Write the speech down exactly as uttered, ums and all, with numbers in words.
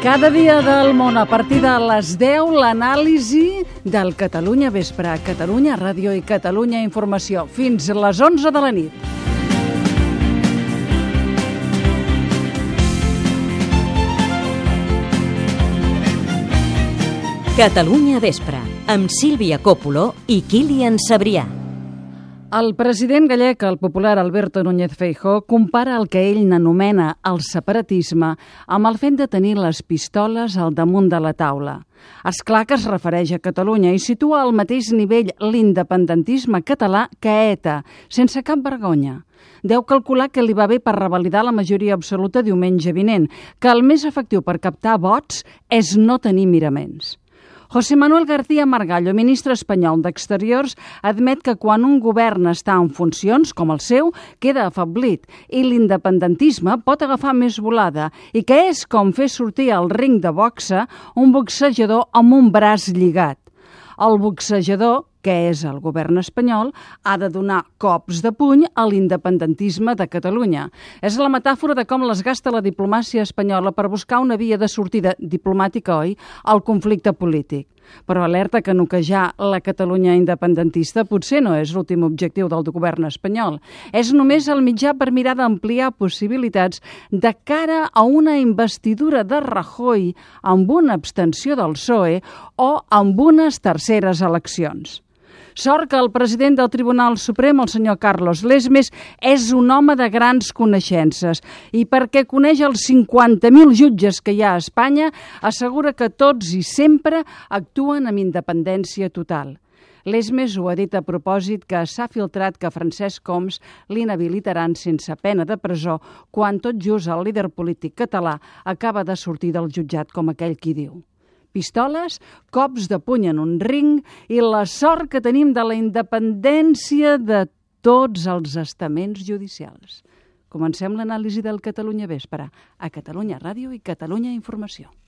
Cada dia del món, a partir de les deu, l'anàlisi del Catalunya Vespre, Catalunya Ràdio i Catalunya Informació, fins a les onze de la nit. Catalunya Vespre, amb Sílvia Coppola i Kilian Sabrià. El president gallec, el popular Alberto Núñez Feijóo, compara el que ell n'anomena el separatisme amb el fet de tenir les pistoles al damunt de la taula. És clar que es refereix a Catalunya i situa al mateix nivell l'independentisme català que ETA, sense cap vergonya. Deu calcular que li va bé per revalidar la majoria absoluta diumenge vinent, que el més efectiu per captar vots és no tenir miraments. José Manuel García Margallo, ministre espanyol d'Exteriors, admet que quan un govern està en funcions, com el seu, queda afeblit i l'independentisme pot agafar més volada i que és com fer sortir al ring de boxa un boxejador amb un braç lligat. El boxejador, que és el govern espanyol, ha de donar cops de puny a l'independentisme de Catalunya. És la metàfora de com les gasta la diplomàcia espanyola per buscar una via de sortida diplomàtica, oi?, al conflicte polític. Però alerta que noquejar la Catalunya independentista potser no és l'últim objectiu del govern espanyol. És només el mitjà per mirar d'ampliar possibilitats de cara a una investidura de Rajoy amb una abstenció del P S O E o amb unes terceres eleccions. Sort que el president del Tribunal Suprem, el senyor Carlos Lesmes, és un home de grans coneixences i perquè coneix els cinquanta mil jutges que hi ha a Espanya, assegura que tots i sempre actuen amb independència total. Lesmes ho ha dit a propòsit que s'ha filtrat que Francesc Homs l'inhabilitaran sense pena de presó quan tot just el líder polític català acaba de sortir del jutjat, com aquell qui diu. Pistoles, cops de puny en un ring i la sort que tenim de la independència de tots els estaments judicials. Comencem l'anàlisi del Catalunya Vespre, a Catalunya Ràdio i Catalunya Informació.